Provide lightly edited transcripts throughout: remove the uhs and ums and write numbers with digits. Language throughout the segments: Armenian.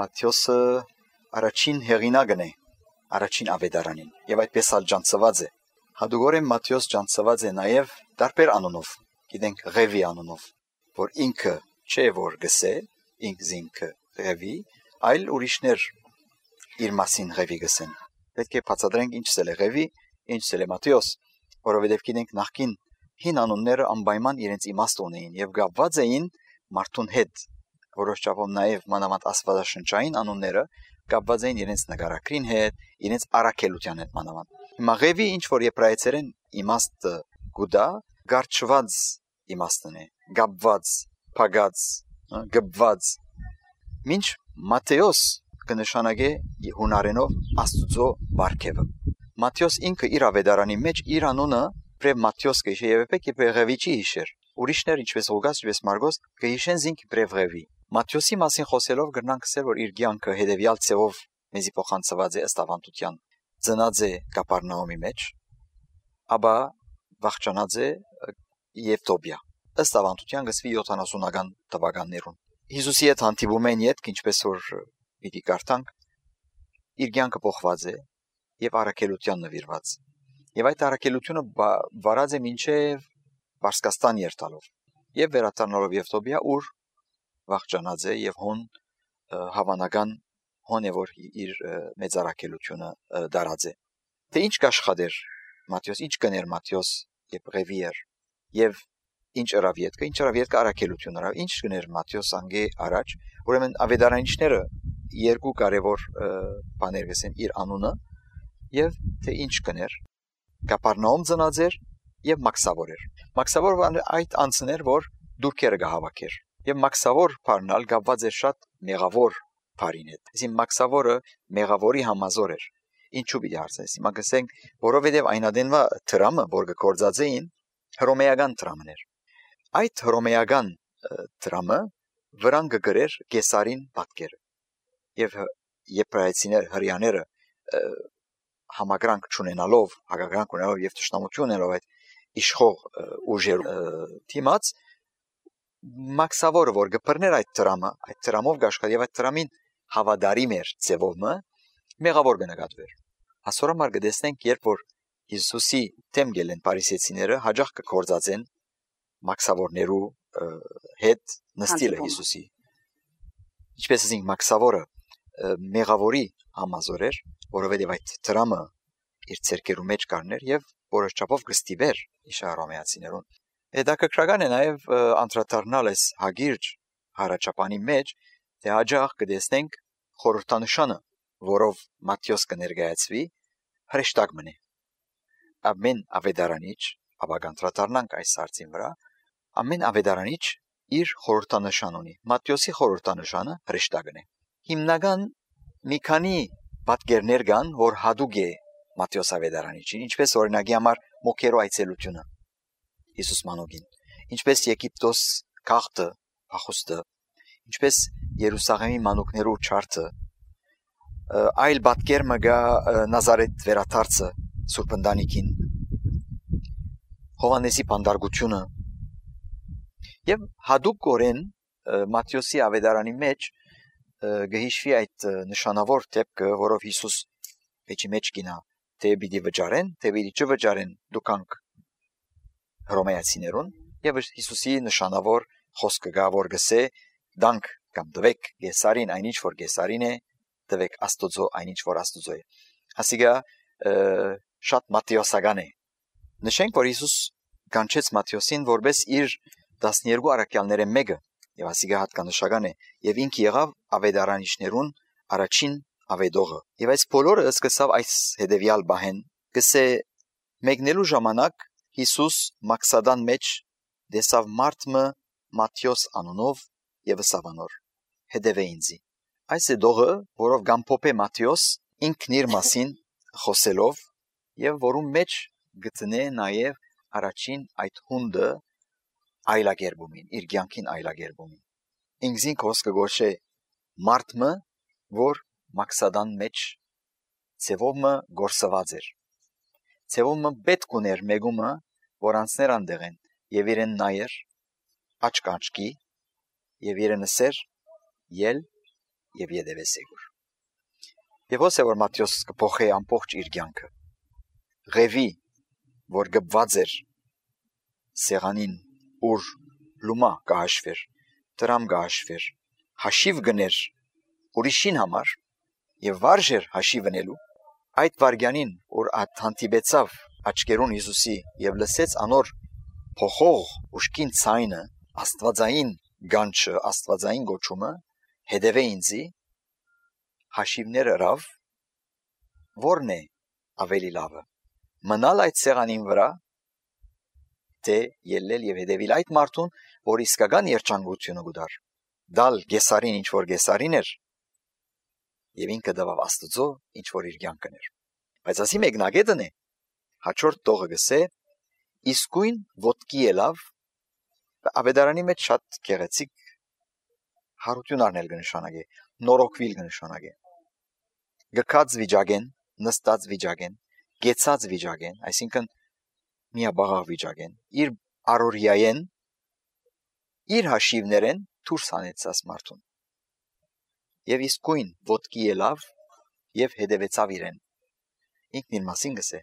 Մատթեոսը առաջին հեղինակն է, առաջին ավետարանին, եւ այդպես էլ ջանցված է։ Հատուկորեն Մատթեոս ջանցված է նաեւ տարբեր անունով, գիտենք Ղևի անունով, որ ինքը չէ որ գսե, ինքը Ղևի, այլ ուրիշներ իր մասին Ղևի գսեն։ Պետք է բացատրենք ինչն է Ղևի, ինչն է Մատթեոս, որովհետեւ գիտենք նախքին հին անունները անպայման իրենց իմաստ ունեին եւ գապված էին մարդուն հետ, որոշ չափով նաեւ մանավանդ աստվածաշնչային անունները կապված էին իրենց նկարագրին հետ, իրենց առաքելության հետ մանավանդ։ Հիմա Ղևի ինչ որ եբրայեցերեն իմաստը գուտա, գարչված իմաստն է, գապված, փագած, գբված։ Մինչ Մատթեոս կնշանակե հունարենով Աստուծո բարգեւը։ Մատթեոս ինքը իր ավետարանի մեջ իր անունը Պրև Մատթեոս կհիշե եւ եպեք Ղևի չի հիշեր։ Ուրիշներ ինչպես Ղուկաս, ինչպես Մարգոս կհիշեն զինք Պրև Ղևի։ Մատթեոսի մասին խոսելով գրնանք ասել որ իր կյանքը հետեւյալ ցեվով մեզի փոխանցված է ըստ ավանդության։ Ծնած է Կապառնաումի մեջ, ապա վախճանած է Եվտոբիա։ Ըստ ավանդության գսվի 70-ական թվականներուն։ Հիսուսի հետ հանդիպում են յետք, ինչպես որ պիտի կարդանք, իր կյանքը փոխված է եւ առաքելության նվիրված։ Եվ այդ առաքելությունը վարած է մինչև Պարսկաստան երթալով եւ վերադառնալով Եվտոբիա, ուր վախճանած է եւ հոն հավանական հոն է որ իր մեծ առաքելությունը դարած է։ Թե ինչ կաշխատեր Մատթեոս, ինչ կներ Մատթեոս եւ Ղևի էր եւ ինչ ըրավ ետքը առաքելություն ըրավ, ինչ կներ Մատթեոս անգե առաջ, ուրեմն ավետարանիչները երկու կարևոր բաներ գսեն իր անունը եւ թե ինչ կներ Կապառնաում ծնած էր եւ մաքսավոր էր։ Մաքսավոր այդ անձներ որ դուրքերը կհավաքեր եւ մաքսավոր բառնալ գապված էր շատ մեղավոր բառին հետ։ Այսինքն մաքսավորը մեղավորի համազոր էր։ Ինչու՞ պիտի հարցնես։ Հիմա գսենք, որովհետեւ այնադենվա դրամը, որ գործածեին, հռոմեական դրամն էր։ Այդ հռոմեական դրամը վրան կգրեր Կեսարին պատկերը։ Եվ եբրայեցիներ հрьяաները համակրանք չունենալով, հակակրանք ունենալով եւ ճշտամություն ունենալով այդ իշխող ուժեր թիմած մաքսավորը որ գբրներ այդ դրամով գաշխատ եւ այդ դրամին հավադարի մեր ծևովը մեղավոր կնկատվեր։ Հասորամար կտեսնենք երբ որ Հիսուսի դեմ գելեն փարիսեցիները հաջող կգործածեն մաքսավորներու հետ նստիլը Հիսուսի։ Ինչպես ասենք մաքսավորը մեղավորի համազոր էր, որովհետև այդ դրամը իր ցերկերու մեջ կառներ եւ որոշ չափով կստիվեր իշարոմեացիներուն։ Հետաքրքրական է նաեւ անդրադառնալ էս հագիրջ հարաճապանի մեջ, թե հաջող կտեսնենք խորհրդանշանը, որով Մատթեոս կներկայացվի, հրեշտակ մնե։ Ամեն ավետարանիչ, ապա անդրադառնանք այս հարցին վրա, ամեն ավետարանիչ իր խորհրդանշան ունի։ Մատթեոսի խորհրդանշանը հրեշտակն է։ Հիմնական մի քանի պատկերներ կան, որ հատուկ է Մատթեոս ավետարանիչին, ինչպես օրինակի համար մոքերո այցելությունը Հիսուս մանուկին, ինչպես Եգիպտոս քաղտը, փախուստը, ինչպես Երուսաղեմի մանուկներու չարթը, այլ պատկեր մը գա Նազարեթ վերադարձը Սուրբ ընտանիքին, Հովանեսի բանդարգությունը եւ հատուկ կորեն Մատթեոսի ավետարանի մեջ գհիշվի այդ նշանավոր դեպքը, որով Հիսուս վեճի մեջ գինա, թե պիտի վճարեն, թե պիտի չվճարեն դուքանք հռոմեացիներուն եւ Հիսուսի նշանավոր խոսքը գա որ գսե դանք կամ դվեք Կեսարին այնինչ որ Կեսարին է, դվեք Աստուծո այնինչ որ Աստուծո է։ Ասիկա շատ մատթեոսական է։ Նշենք որ Հիսուս կանչեց Մատթեոսին որպես իր 12 առաքյալները մեկը եւ ասիկա հատկանշական է եւ ինքը եղավ ավետարանիչներուն առաջին ավետողը եւ այս բոլորը սկսավ այս հետեւյալ բահեն գսե մեկնելու ժամանակ Հիսուս Մաքսադան մեջ դեսավ մարդը Մատթեոս անունով եւ սավանոր հետևե ինձի այս է դողը որով գամփոփե Մատթեոս ինքն իր մասին խոսելով եւ որում մեջ գտնե նաեւ առաջին այդ հունդը այլագերբումին իր կյանքին այլագերբումին ինքզին խոսքը գոշե մարդը որ Մաքսադան մեջ ցևոմը գործված էր ցևոմը պետք ուներ մեգումը որ անցներ անդեղեն եւ իրեն նայեր աչք աչքի եւ իրենսեր ել եւ յետևե սեգուր։ Եվ ոսե որ Մատթեոս կփոխե ամբողջ իր կյանքը։ Ղևի, որ գբված էր սեղանին, ուր լումա կհաշվեր, դրամ կհաշվեր, հաշիվ գներ ուրիշին համար եւ վարժեր հաշիվնելու, այդ վարգյանին, որ հանդիպեցավ աչքերուն Հիսուսի եւ լսեց անոր փոխող ուշքին ցայնը, աստվածային գանչը, աստվածային գոչումը, հետևե ինձի, հաշիվները ռավ, որն է ավելի լավը, մնալ այդ սեղանին վրա, թե ելնել եւ հետևել այդ մարդուն, որ իսկական երջանկությունը գուդար, դալ գեսարին ինչ որ գեսարին էր, եւ ինքը դավավ Աստծո ինչ որ իր կյանքն էր։ Բայց ասի մեկնագետն է, հաջորդ տողը գսե, իսկույն ոտքի ելավ, ավետարանի մեջ շատ գեղեցիկ հարություն առնել կնշանակե, նորոգվիլ կնշանակե։ Գքած վիճակեն, նստած վիճակեն, գեցած վիճակեն, այսինքն միաբաղաղ վիճակեն, իր առօրյայեն, իր հաշիվներեն դուրս հանեցած մարդուն։ Եվ իսկույն ոտքի ելավ եւ հետևեցավ իրեն։ Ինքն իր մասին գսե։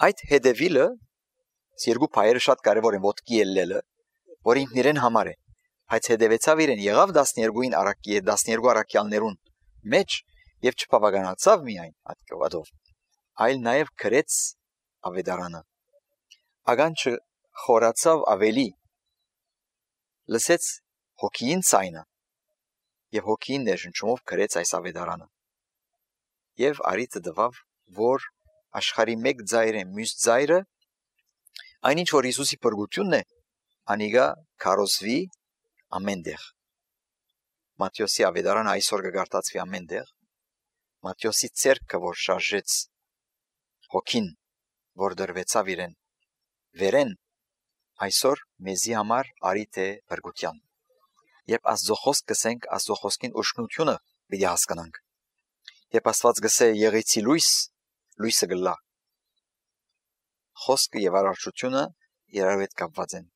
Այդ հետևիլը երկու փայերը շատ կարևոր են, ոտքի ելնելը, որ ինքն իրեն համար է, բայց հետևեցավ իրեն, եղավ 12-ին առակի, 12 առաքյալներուն մեջ եւ չբավականացավ միայն այդով, այլ նաեւ քրեց ավետարանը։ Ագանչը խորացավ ավելի, լսեց հոգին ցայնը եւ հոգին ներշնչումով քրեց այս ավետարանը։ Եվ արիթը դվավ, որ աշխարհի մեկ ձայր է, մյուս ձայրը, այնինչ որ Հիսուսի փրկությունն է, անիգա քարոզվի ամենտեղ։ Մատթեոսի ավետարանը այսօր կգարտացվի ամենտեղ։ Մատթեոսի ցերկը, որ շարժեց հոգին, որ դրվեցավ իրեն, վերեն, այսօր մեզի համար արիթ է փրկության։ Երբ Աստծո խոսք կսենք, Աստծո խոսքին ուշնությունը պիտի հասկանանք։ Երբ Աստված գսե եղեցի լույս, լույսը գլա։ Խոսքը եւ արարչությունը իրար հետ կապված են։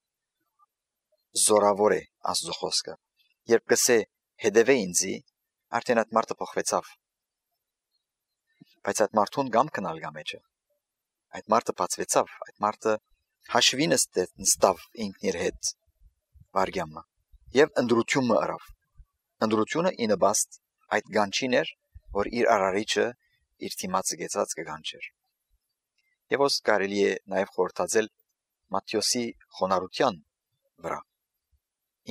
Զորավոր է Աստծո խոսքը։ Երբ գսե հետևե ինձի, արդեն այդ մարդը փոխվեցավ։ Բայց այդ մարդուն գամ կնալ գամեջը։ Այդ մարդը բացվեցավ, այդ մարդը հաշվի նստավ ինքն իր հետ վարգյամը եւ ընդրությունը արավ։ Ընդրությունը ինըբաստ այդ գանչին էր, որ իր արարիչը իր թիմացը գեցած կգանչեր։ Եվ ոս կարելի է նաեւ խորհրդածել Մատթեոսի խոնարհության վրա։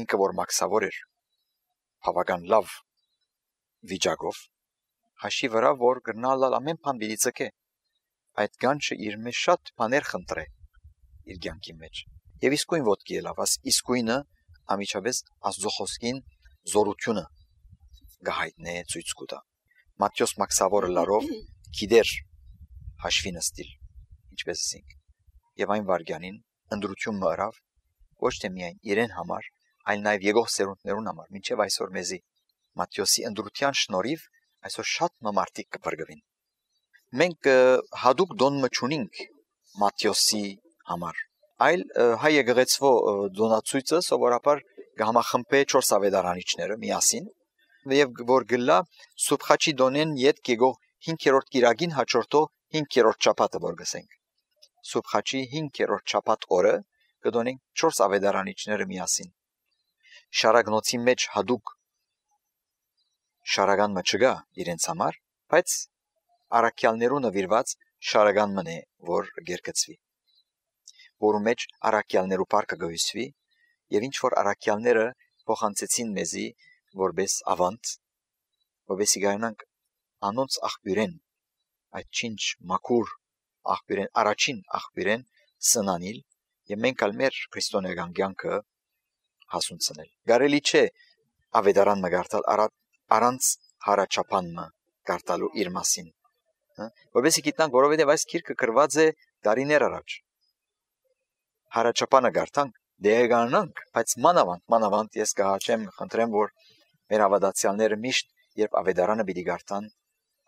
Ինքը որ մաքսավոր էր, բավական լավ վիճակով, հաշի վրա որ գրնալալ ամեն բան պիտի ցկե։ Այդ գանչը իր մեջ շատ բաներ խնդրե իր կյանքի մեջ։ Եվ իսկույն ոտքի ելավ, իսկույնը ամիջապես Աստծո խոսքին զորությունը գահիտնե ցույց կտա։ Մատթեոս մաքսավորը լարով գիտեր հաշվի նստիլ, ինչպես ասենք։ Եվ այն վարգյանին ընդրություն մռավ ոչ թե միայն իրեն համար, այլ նաև եկող սերունդներուն համար, մինչև այսօր մեզի Մատթեոսի ընդրության շնորհիվ այսօր շատ մարդիկ կփրկվին։ Մենք հadoop դոնը չունենք Մատթեոսի համար, այլ հայ եկեղեցվո դոնացույցը սովորաբար կհամախմբե 4 ավետարանիչները միասին եւ որ գլա Սուբխաչի դոնեն յետ կեգող 5-րդ կիրագին հաջորդող 5-րդ շաբաթը որ գսենք։ Սուբխաչի 5-րդ շաբաթ օրը կդոնենք 4 ավետարանիչները միասին։ Շարագնոցի մեջ հadoop շարական մը իրենց համար, բայց առաքյալներու նվիրված շարական մն է, որ գերկծվի, որու մեջ առաքյալներու պարկը գույսվի եւ ինչ որ առաքյալները փոխանցեցին մեզի որպես ավանդ, որպեսի գայանանք անոնց աղբյուրեն, այդ չինչ մաքուր աղբյուրեն, առաջին աղբյուրեն սնանիլ եւ մենք ալ մեր քրիստոնեական կյանքը հասունցնել։ Գարելի չէ ավետարան մգարտալ առանց հարաճապանը գարտալու իր մասին, որովհետեւ գիտնանք, որովհետեւ այս քիրքը գրված է դարիներ առաջ։ Հարաճապանը գարտանք, դեղանանք, բայց մանավանդ ես կհաճեմ, խնդրեմ, որ մեր հավատացյալները միշտ երբ ավետարանը պիտի գարտան,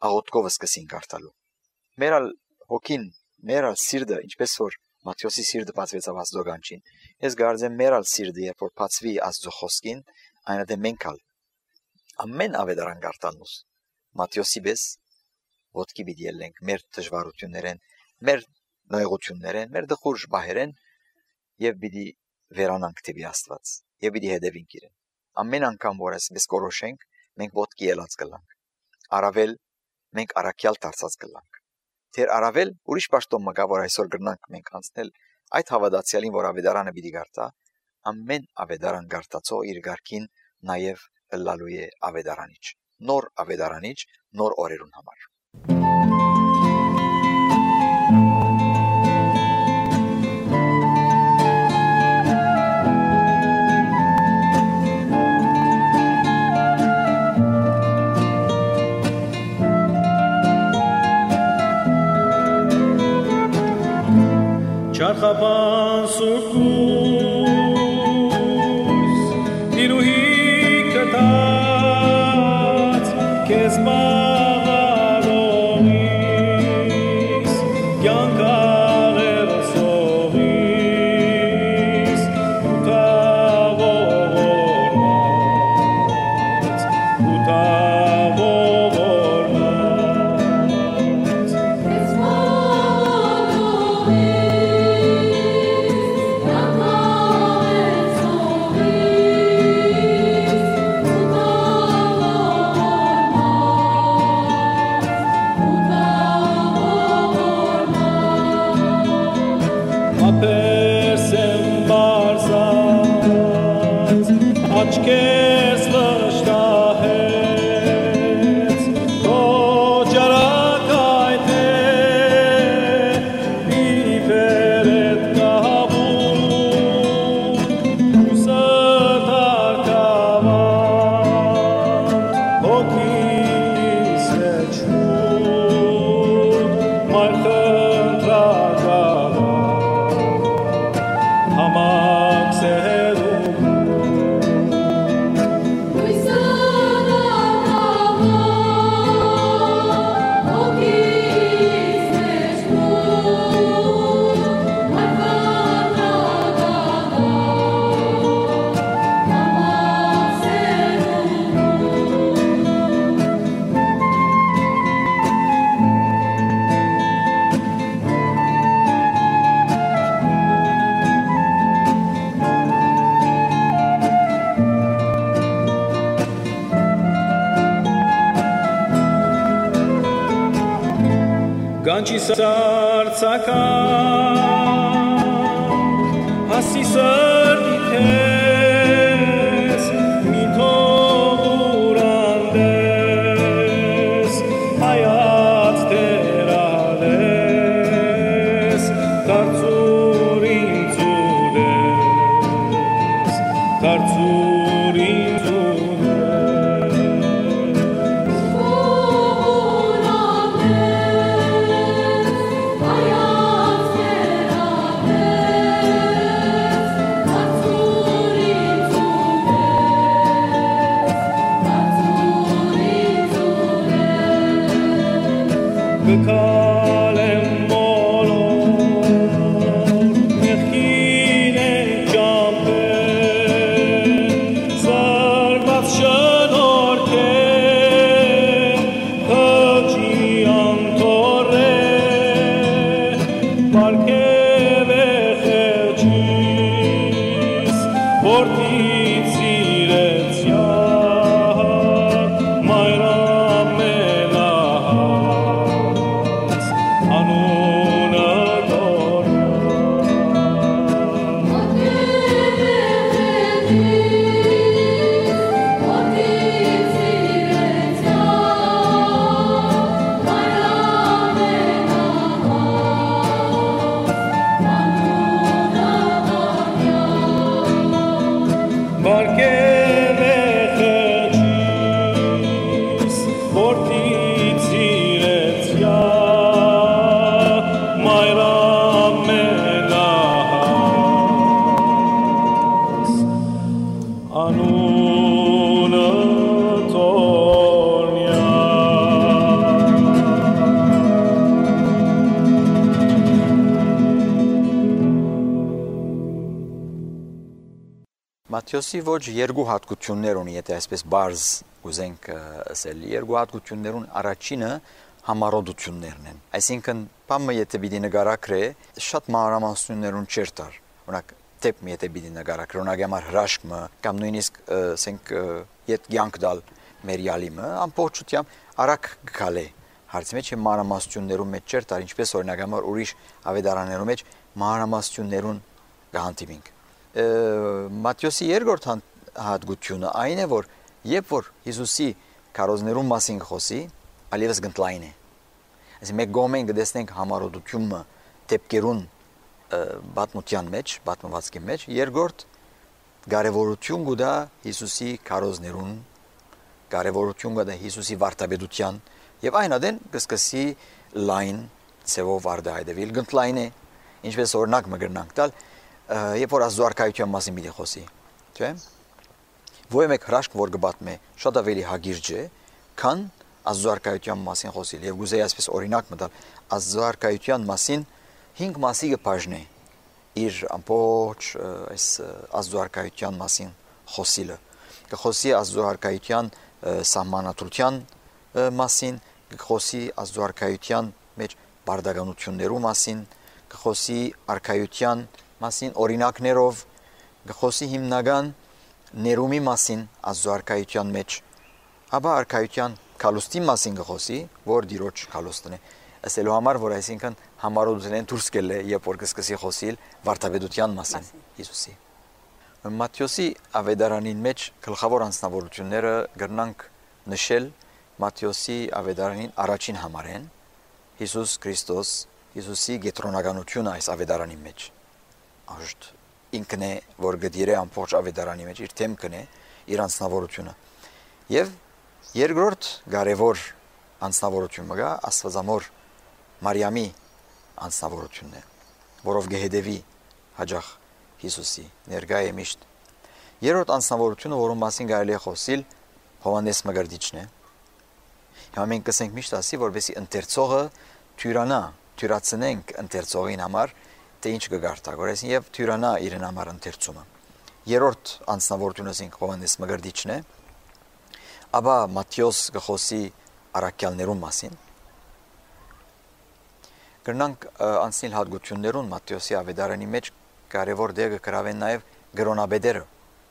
աղոթքով սկսին գարտալու։ Մեր հոգին, մեր սիրտը, ինչպես որ Մատթեոսի սիրտը բացվեցավ Աստծո գանչին, ես կարծեմ մեր սիրտը երբ որ բացվի Աստծո խոսքին, այնուհետև մենք ամեն ավետարան գարտանուս Մատթեոսի պես ոտքի պիտի ելենք մեր դժվարություններեն, մեր նայողություններեն, մեր դխուր բահերեն եւ պիտի վերանանք դեպի Աստված եւ պիտի հետևենք իրեն։ Ամեն անգամ որ այսպես կորոշենք, մենք ոտքի ելած կլանք։ Առավել մենք առաքյալ դարձած կլանք։ Թեր առավել ուրիշ պաշտոն մգա որ այսօր գրնանք մենք անցնել այդ հավատացյալին որ ավետարանը պիտի գարտա, ամեն ավետարան գարտացող իր ղարքին նաեւ լալու է ավետարանիչ, նոր ավետարանիչ, նոր օրերուն համար։ Չարխապան սուրկուս դիրուհի կտած կեզ մաղալողիս կյանքաղերը սողիս աչքես վշտահեց քո ջարակայթ է իվերետ կահաբուն ուսատարկավան հոգիս էջում մայր խնդրակավան համակ սերում Ganchi sartsakam hasi sardites mito burandes hayat terales tartsurin zudes tartsurin zudes Kalem molor mechine jampe zarbat shanorke haji antore parke vechis portit silencia mayra Մատթեոսի ոչ երկու հատկություններ ունի, եթե այսպես բարձ Ուզենք ասել երկու հատկություններուն առաջինը համառոդություններն են։ Այսինքն, բամը եթե պիտի նկարագրե, շատ մանրամասնություններուն չեր տար։ Օրինակ, դեպի եթե պիտի նկարագրե, օրինակ համար հրաշքը կամ նույնիսկ ասենք իդ կյանք դալ մեր յալիմը ամբողջությամբ արագ գալե հարցի մեջ մանրամասնություններուն մեջ չեր տար, ինչպես օրինակ համար ուրիշ ավետարաններում մեջ մանրամասնություններուն կհանդիպինք։ Մատթեոսի երկրորդ հատկությունը այն է, որ երբ որ Հիսուսի քարոզներուն մասին խոսի, ալիվս գտնլայն է։ Այսինքն մենք գոմեն կտեսնենք համառոդությունը դեպքերուն բացմության մեջ, բացմվածքի մեջ, երկրորդ կարևորություն կուտա Հիսուսի քարոզներուն, կարևորություն կուտա Հիսուսի վարդապետության եւ այն ադեն կսկսի լայն ծևով արդահայտվել գտնլայն է, ինչպես օրինակ մգրնանք տալ, երբ որ Աստծո արքայության մասին մի խոսի, չէ՞։ Ոյ մեկ հրաշք որ կբատմե շատ ավելի հագիրջ է, քան Աստծո արքայության մասին խոսել եւ գուզեի այսպես օրինակ մտալ Աստծո արքայության մասին 5 մասի կբաժնե իր ամբողջ այս Աստծո արքայության մասին խոսիլը կխոսի Աստծո արքայության սահմանադրության մասին կխոսի Աստծո արքայության մեջ բարդականություններու մասին կխոսի արքայության մասին օրինակներով կխոսի հիմնական ներումի մասին Աստծո արքայության մեջ ապա արքայության քալուստի մասին կխոսի որ դիրոջ քալուստն է ասելու համար որ այսինքն համառոդությունեն դուրս գել է երբ որ կսկսի խոսիլ վարդապետության մասին Հիսուսի Մատթեոսի ավետարանին մեջ գլխավոր անձնավորությունները գրնանք նշել Մատթեոսի ավետարանին առաջին համարեն Հիսուս Քրիստոս Հիսուսի գետրոնականությունը այս ավետարանի մեջ աշտ ինքն է որ գդիրե ամբողջ ավետարանի մեջ իր թեմքն է իր անձնավորությունը եւ երկրորդ կարևոր անձնավորությունը գա Աստվածամոր Մարիամի անձնավորությունն է որով գեհդեվի հաջող Հիսուսի ներկայ է միշտ երրորդ անձնավորությունը որում մասին կարելի է խոսել Հովհաննես Մկրտիչն է հիմա մենք կսենք միշտ ասի որովհետեւ ընթերցողը թյուրանա թյուրացնենք ընթերցողին համար թե ինչ կգարտագորես եւ թյուրանա իրեն համար ընթերցումը երրորդ անձնավորությունը ասենք Հովհաննես Մկրտիչն է ապա Մատթեոս գխոսի առաքյալներուն մասին կրնանք անցնել հատկություններուն Մատթեոսի ավետարանի մեջ կարևոր դեր կգրավեն նաև գրոնաբեդերը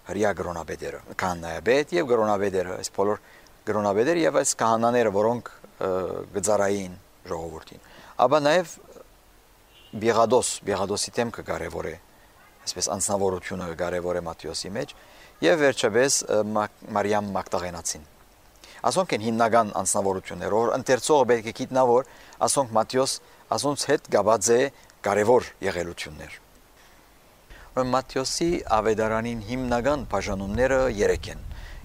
հրյա գրոնաբեդերը քահանայաբեդ եւ գրոնաբեդերը այս բոլոր գրոնաբեդերը եւ այս քահանաները որոնք գծարային ժողովրդին ապա նաև Բիղադոսի թեմքը կարևոր է այսպես անձնավորությունը կարևոր է Մատթեոսի մեջ եւ վերջապես Մարիամ Մագդաղենացին ասոնք են հիմնական անձնավորությունները որ ընթերցողը պետք է գիտնա որ ասոնք Մատթեոս ասոնց հետ գաբած է կարևոր եղելություններ Մատթեոսի ավետարանին հիմնական բաժանումները 3 են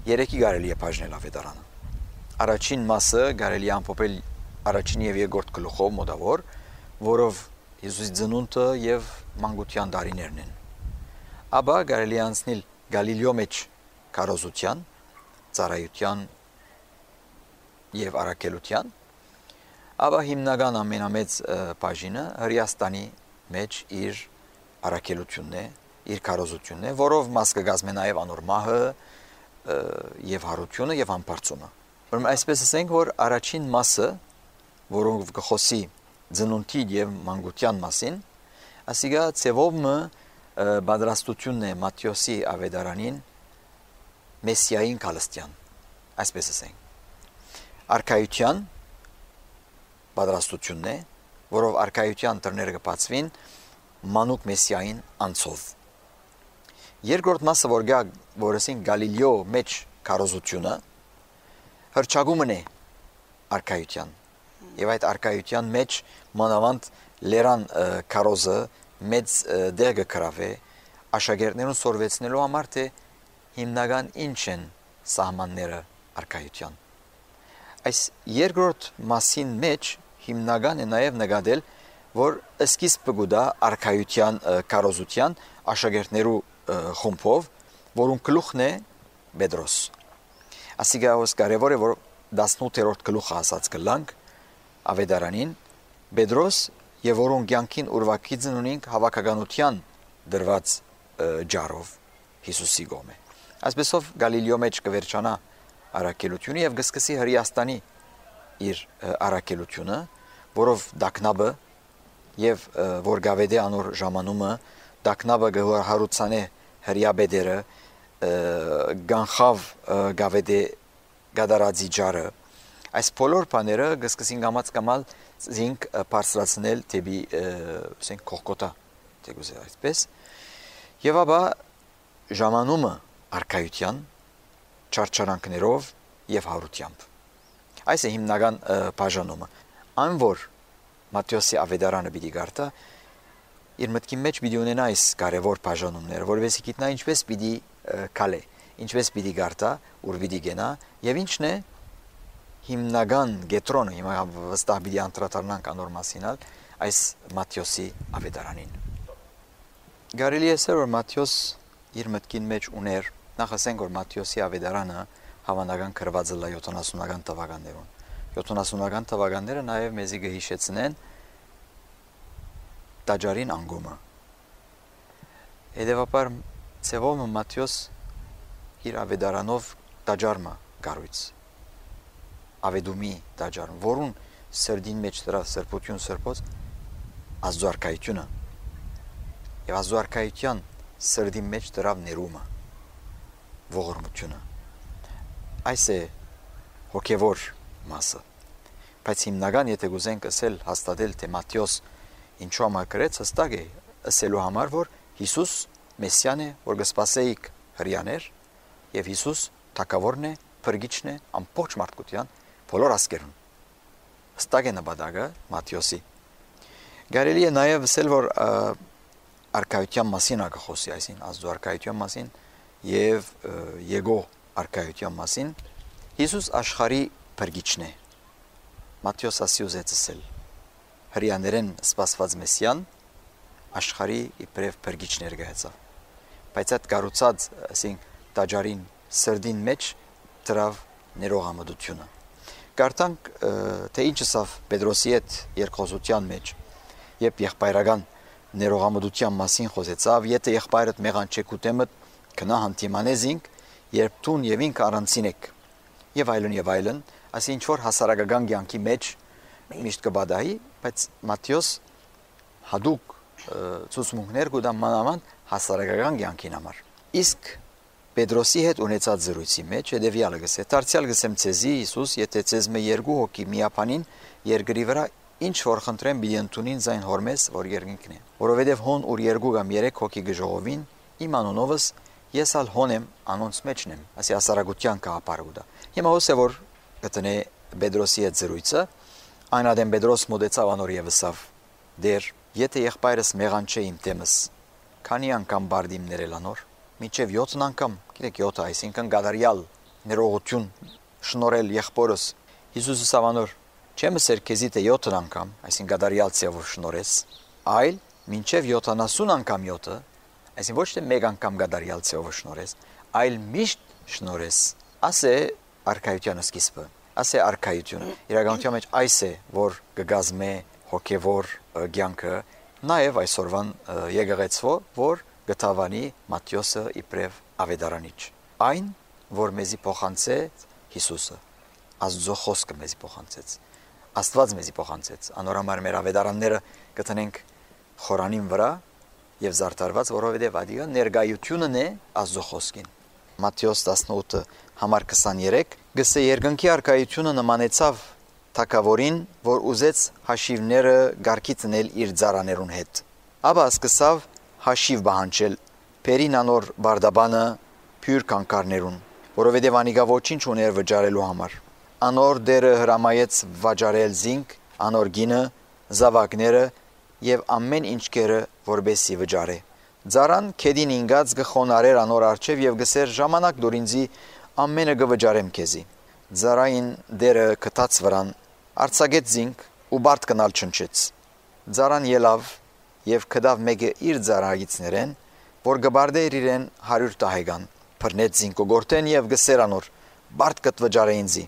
3-ի կարելի է բաժնել ավետարանը առաջին մասը կարելի է ամփոփել առաջին եւ երկրորդ գլուխով մոտավոր որով Հիսուսի ծնունդը եւ մանկության տարիներն են ապա կարելի է անցնել Գալիլեո մեջ քարոզության ծառայության եւ առաքելության ապա հիմնական ամենամեծ բաժինը Հրեաստանի մեջ իր առաքելությունն է իր քարոզությունն է որով մաս կգազմե նաեւ անոր մահը եւ հարությունը եւ ամբարձումը ուրեմն այսպես ասենք որ առաջին մասը որոնք կխոսի ծնունդի եւ մանկության մասին ասիգա ծևովը բادرաստությունն է Մատթեոսի ավետարանին Մեսիային Քալստյան այսպես ասենք արքայության բادرաստությունն է որով արքայության դռները կբացվին մանուկ Մեսիային անցով երկրորդ մասը որ գա որսին Գալիլեո մեջ քարոզությունը հրճագումն է արքայության եւ այդ արքայության մեջ մանավանդ լերան քարոզը մեծ դեր կգրավե աշակերտներուն սորվեցնելու համար թե հիմնական ինչ են սահմանները արքայության այս երկրորդ մասին մեջ հիմնական է նաեւ նկատել որ սկիզբը գուտա արքայության քարոզության աշակերտներու խումբով որոնք գլուխն է Պետրոս ասիգաոս կարևոր է որ 18-րդ գլուխը ասած կլանք ավետարանին Պետրոս եւ որոնք կյանքին ուրվակիցն ունին հավաքականության դրված ջարով Հիսուսի գոմե այսպեսով Գալիլեո մեջ կվերջանա առաքելությունը եւ գսկսի Հրեաստանի իր առաքելությունը, որով դակնաբը եւ որ գավեդե անոր ժամանումը դակնաբը գահարուցանե հրյաբեդերը գանխավ գավեդե գադարածի ջարը այս բոլոր բաները գսկսին գամած զինք բարձրացնել դեպի ասենք կողկոտա դեգուզե այսպես եւ ապա ժամանումը արքայության չարչարանքներով եւ հարությամբ այս է հիմնական բաժանումը այն որ Մատթեոսի ավետարանը պիտի գարտա իր մտքի մեջ պիտի ունենա այս կարևոր բաժանումները որովհետեւ գիտնա ինչպես պիտի կալե ինչպես պիտի գարտա ուր պիտի գնա եւ ինչն է հիմնական գետրոնը հիմա վստահ պիտի անդրադառնանք անոր մասինալ այս Մատթեոսի ավետարանին Գարելի է որ Մատթեոս իր մտքին մեջ ուներ նախ ասենք որ Մատթեոսի ավետարանը հավանական գրված է 70-ական թվականներում 70-ական թվականները նաև մեզի գհիշեցնեն տաճարին անգումը Հետևաբար ցեվոմը Մատթեոս իր ավետարանով տաճարը գարույց ավետումի տաճարը որուն սրդին մեջ դրա սրբություն սրբոց ազդուարքայությունը եւ ազդուարքայության սրդի մեջ դրա ներումը ողորմությունը այս է հոգևոր մասը բայց հիմնական եթե գուզենք ասել հաստատել թե Մատթեոս ինչու համար գրեց հստակ է ասելու համար որ Հիսուս Մեսիան է որ կսպասեիք հрьяաներ եւ Հիսուս թակավորն է փրկիչն է ամբողջ մարդկության բոլոր ազգերուն հստակ է նպատակը Մատթեոսի Գարելի է նաեւ ասել որ արքայության մասին ակխոսի այսին ազդու արքայության մասին եւ եկո արքայության մասին Հիսուս աշխարհի փրկիչն է Մատթեոս ասի ուզեցել հрьяաներեն սպասված Մեսիան աշխարհի իբրև փրկիչ ներկայացավ բայց այդ կառուցած ասենք տաճարին սրդին մեջ դրավ ներողամտությունը Կարդանք թե ինչ ասավ Պետրոսի հետ երկխոսության մեջ երբ եղբայրական ներողամտության մասին խոսեցավ եթե եղբայրդ մեղան չեկուտեմը կնա հանդիմանեզինք երբ տուն եւ ինք առանցին եք եւ այլն ասի ինչ որ հասարակական կյանքի մեջ միշտ կբադայի բայց Մատթեոս հadouk ցուցմունքներ կուտա մանավանդ հասարակական կյանքին համար իսկ Պետրոսի հետ ունեցած զրույցի մեջ հետեւյալը գսե դարձյալ գսեմ ցեզի Հիսուս եթե ցեզ մե երկու հոգի միապանին երկրի վրա ինչ որ խնդրեմ պիտի ընդունին զայն հորմես որ երկինքն է որովհետեւ հոն ուր երկու կամ երեք հոգի գժողովին իմ անունովս ես ալ հոնեմ անոնց մեջն եմ ասի հասարակության կապարուդա հիմա հոսե որ գտնե Պետրոսի հետ զրույցը այն ադեմ Պետրոս մոդեցավ անոր եւսավ դեր եթե եղբայրս մեղան չէ իմ տեմս քանի անգամ բարդիմ ներել անոր մինչև 7 անգամ գիտեք 7 այսինքն գադարյալ ներողություն շնորհել եղբորս Հիսուսը սավանոր չեմ ասեր քեզի թե 7 անգամ այսինքն գադարյալ ծավով շնորհես այլ մինչև 70 անգամ 7 այսինքն ոչ թե մեկ անգամ գադարյալ ծավով շնորհես այլ միշտ շնորհես ասե արքայության սկիզբը ասե արքայությունը իրականության մեջ այս է որ կգազմե հոգևոր կյանքը նաև այսօրվան եկեղեցվո որ գտավանի Մատթեոսը իբրև ավետարանիչ այն որ մեզի փոխանցե Հիսուսը Աստծո խոսքը մեզի փոխանցեց Աստված մեզի փոխանցեց անորամար մեր ավետարանները գտնենք խորանին վրա եւ զարդարված որովհետեւ ադիգա ներգայությունն է Աստծո խոսքին Մատթեոս 18 համար 23 գսե երկնքի արքայությունը նմանեցավ թակավորին որ ուզեց հաշիվները գարկի տնել իր ծառաներուն հետ ապա սկսավ հաշիվ բանջել Պերին անոր բարդաբանը փյուր կանկարներուն որովհետև անիգա ոչինչ ուներ վճարելու համար անոր դերը հրամայեց վճարել զինք անոր գինը զավակները եւ ամեն ինչ կերը որբեսի վճարե Ձարան քեդին ինգած գխոնարեր անոր արչև եւ գսեր ժամանակ դուր ինձի ամենը գվճարեմ քեզի Ձարային դերը կտած վրան արցագեց զինք ու բարդ կնալ չնչեց Ձարան ելավ եւ կդավ մեկը իր ձարագիցներեն որ գբարդեր իրեն 100 տահեգան բռնեց զինքո գորտեն եւ գսեր անոր բարդ կտվճարե ինձի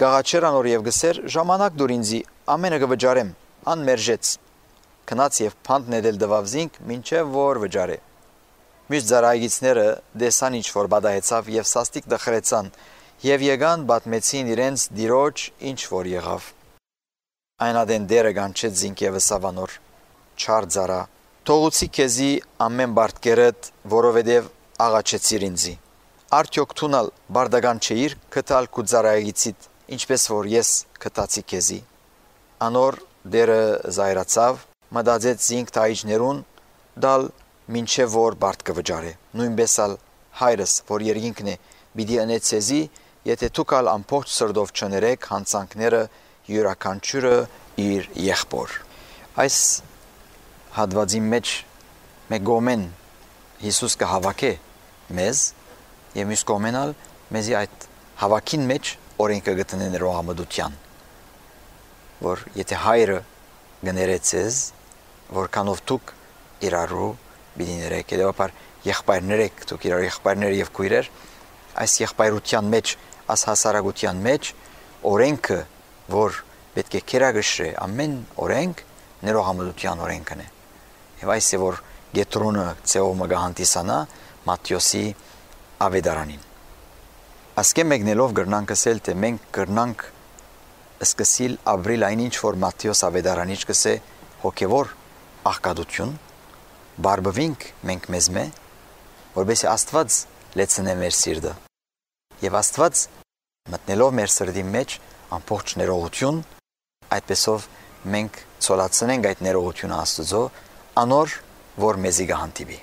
գաղաչեր անոր եւ գսեր ժամանակ դուր ինձի ամենը գվճարեմ անմերժեց Քնած եւ փանդ ներել դվավ զինք մինչեւ որ վճարե Մյուս ձարագիցները դեսան ինչ որ բադահեցավ եւ սաստիկ դխրեցան Եվ եկան պատմեցին իրենց դիրոջ ինչ որ եղավ։ Այն ադեն դերը կանչեց զինքևս ավանոր չար ծարա։ Թողուցի քեզի ամեն բարդկերդ, որովհետև աղաչեցիր ինձի։ Արդյոք թունալ բարդական չէիր կտալ քու ծարայիցիդ, ինչպես որ ես կտացի քեզի։ Անոր դերը զայրացավ, մտածեց զինք տայիջներուն դալ մինչև որ բարդ կվճարե։ Նույնպես ալ հայրս, որ երկինքն է, պիտի ընեցեզի, եթե դուք ալ ամբողջ սրտով չներեք հանցանքները յուրաքանչյուրը իր եղբոր։ Այս հատվածի մեջ մեկ գոմեն Հիսուս կհավաքե մեզ եւ մյուս գոմենալ մեզի այդ հավաքին մեջ օրենքը գտնեն ներողամտության, որ եթե հայրը գներեցես, որքանով դուք իրարու պիտի ներեք, հետեւաբար եղբայրներեք, դուք իրար եղբայրներ եւ քույրեր, այս եղբայրության մեջ, այս հասարակության մեջ օրենքը, որ պետք է կերակշռի ամեն օրենք ներողամտության օրենքն է։ Եվ այս է որ Գետրոնը ծեողը գահանտիսանա Մատթեոսի ավետարանին։ Ասկե մեկնելով գրնանք ասել, թե մենք գրնանք սկսիլ ապրիլ այն ինչ որ Մատթեոս ավետարանիչ կսե հոգևոր աղքատություն, բարբվինք մենք մեզ մե, որովհետեւ Աստված լեցնե մեր սիրտը։ Եվ Աստված մտնելով մեր սրտի մեջ ամբողջ ներողություն, այդպեսով մենք ցոլացնենք այդ ներողությունը Աստծո, անոր որ մեզի գահանտիվի։